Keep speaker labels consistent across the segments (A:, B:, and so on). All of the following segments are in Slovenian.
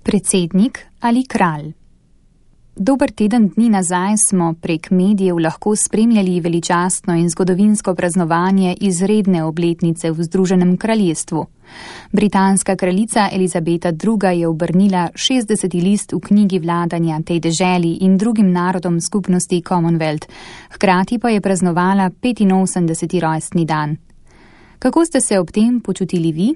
A: Predsednik ali kralj? Dober teden dni nazaj smo prek medijev lahko spremljali veličastno in zgodovinsko praznovanje izredne obletnice v Združenem kraljestvu. Britanska kraljica Elizabeta II. Je obrnila 60. list v knjigi vladanja tej deželi in drugim narodom skupnosti Commonwealth, hkrati pa je praznovala 85. rojstni dan. Kako ste se ob tem počutili vi?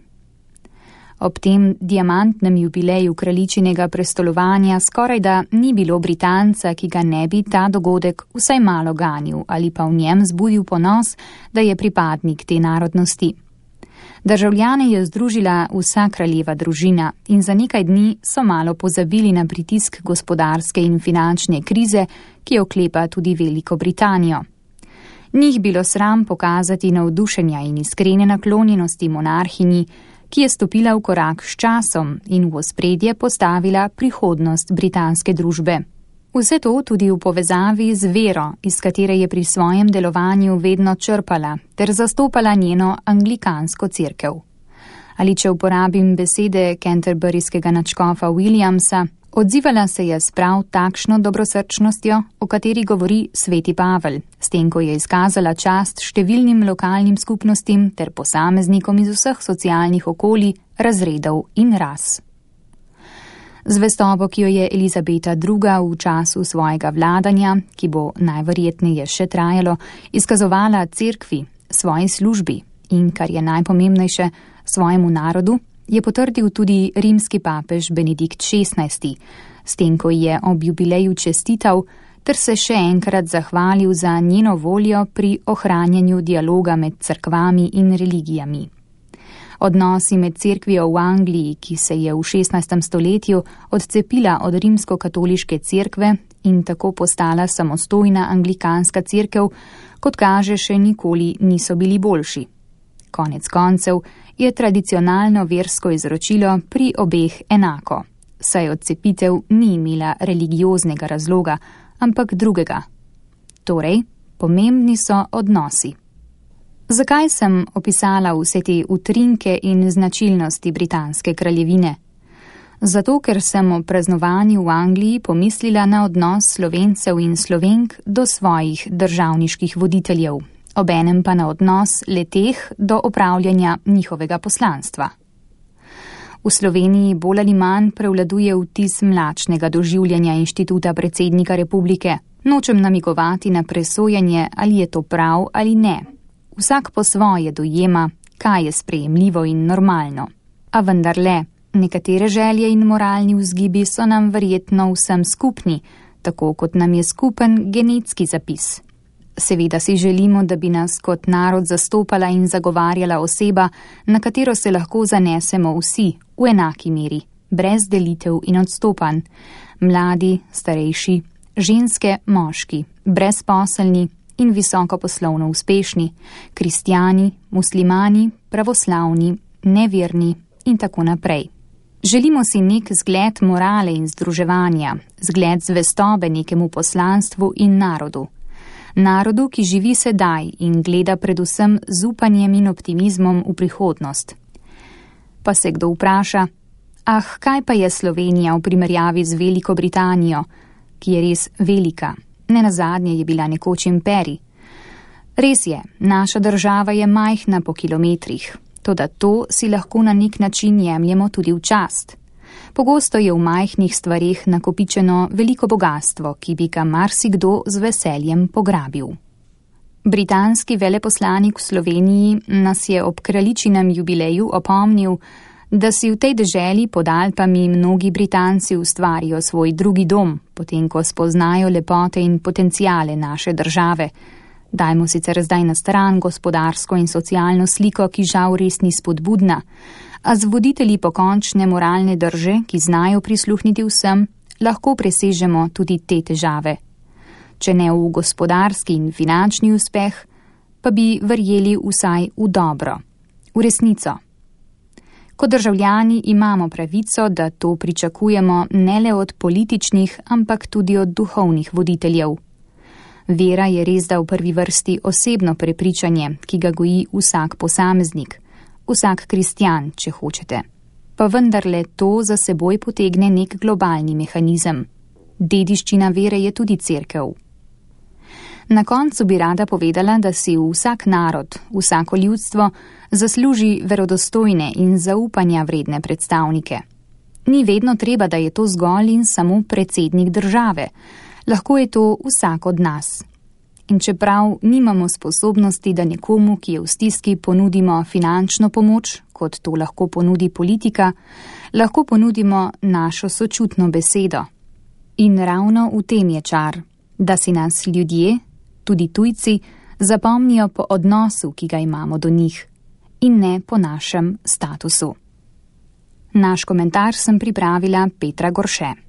A: Ob tem diamantnem jubileju kraljičinega prestolovanja skorajda ni bilo Britanca, ki ga ne bi ta dogodek vsaj malo ganil ali pa v njem zbudil ponos, da je pripadnik te narodnosti. Državljane je združila vsa kraljeva družina in za nekaj dni so malo pozabili na pritisk gospodarske in finančne krize, ki oklepa tudi Veliko Britanijo. Njih bilo sram pokazati navdušenja in iskrene naklonjenosti monarhinji, ki je stopila v korak s časom in v ospredje postavila prihodnost britanske družbe. Vse to tudi v povezavi z vero, iz katere je pri svojem delovanju vedno črpala, ter zastopala njeno anglikansko cerkev. Ali če uporabim besede canterburyskega nadškofa Williamsa, odzivala se je s prav takšno dobrosrčnostjo, o kateri govori sveti Pavel, s tem, ko je izkazala čast številnim lokalnim skupnostim ter posameznikom iz vseh socialnih okolij, razredov in ras. Zvestobo, ki jo je Elizabeta II. V času svojega vladanja, ki bo najverjetneje še trajalo, izkazovala cerkvi, svoji službi in, kar je najpomembnejše, svojemu narodu, je potrdil tudi rimski papež Benedikt XVI, s tem, ko je ob jubileju čestital ter se še enkrat zahvalil za njeno voljo pri ohranjanju dialoga med cerkvami in religijami. Odnosi med cerkvijo v Angliji, ki se je v 16. stoletju odcepila od rimsko-katoliške cerkve in tako postala samostojna anglikanska cerkev, kot kaže, še nikoli niso bili boljši. Konec koncev je tradicionalno versko izročilo pri obeh enako, saj odcepitev ni imela religioznega razloga, ampak drugega. Torej, pomembni so odnosi. Zakaj sem opisala vse te utrinke in značilnosti britanske kraljevine? Zato, ker sem o praznovanju v Angliji pomislila na odnos Slovencev in Slovenk do svojih državniških voditeljev, obenem pa na odnos le-teh do opravljanja njihovega poslanstva. V Sloveniji bolj ali manj prevladuje vtis mlačnega doživljanja inštituta predsednika republike. Nočem namigovati na presojanje, ali je to prav ali ne. Vsak po svoje dojema, kaj je sprejemljivo in normalno. A vendarle, nekatere želje in moralni vzgibi so nam verjetno vsem skupni, tako kot nam je skupen genetski zapis. Seveda si želimo, da bi nas kot narod zastopala in zagovarjala oseba, na katero se lahko zanesemo vsi v enaki meri, brez delitev in odstopanj. Mladi, starejši, ženske, moški, brezposelni in visoko poslovno uspešni, kristjani, muslimani, pravoslavni, neverni in tako naprej. Želimo si nek zgled morale in združevanja, zgled zvestobe nekemu poslanstvu in narodu. Narodu, ki živi sedaj in gleda predvsem z upanjem in optimizmom v prihodnost. Pa se kdo vpraša, kaj pa je Slovenija v primerjavi z Veliko Britanijo, ki je res velika? Nenazadnje je bila nekoč imperij. Res je, naša država je majhna po kilometrih, toda to si lahko na nek način jemljemo tudi v čast. Pogosto je v majhnih stvareh nakopičeno veliko bogastvo, ki bi ga marsikdo z veseljem pograbil. Britanski veleposlanik v Sloveniji nas je ob kraljičinem jubileju opomnil, da si v tej deželi pod Alpami mnogi Britanci ustvarijo svoj drugi dom, potem ko spoznajo lepote in potenciale naše države. Dajmo sicer zdaj na stran gospodarsko in socialno sliko, ki žal res ni spodbudna, a z voditelji pokončne moralne drže, ki znajo prisluhniti vsem, lahko presežemo tudi te težave. Če ne v gospodarski in finančni uspeh, pa bi verjeli vsaj v dobro, v resnico. Kot državljani imamo pravico, da to pričakujemo ne le od političnih, ampak tudi od duhovnih voditeljev. Vera je res da v prvi vrsti osebno prepričanje, ki ga goji vsak posameznik, vsak kristjan, če hočete. Pa vendarle to za seboj potegne nek globalni mehanizem. Dediščina vere je tudi cerkev. Na koncu bi rada povedala, da si vsak narod, vsako ljudstvo zasluži verodostojne in zaupanja vredne predstavnike. Ni vedno treba, da je to zgolj in samo predsednik države. Lahko je to vsak od nas. In čeprav nimamo sposobnosti, da nekomu, ki je v stiski, ponudimo finančno pomoč, kot to lahko ponudi politika, lahko ponudimo našo sočutno besedo. In ravno v tem je čar, da si nas ljudje, tudi tujci, zapomnijo po odnosu, ki ga imamo do njih, in ne po našem statusu. Naš komentar sem pripravila Petra Gorše.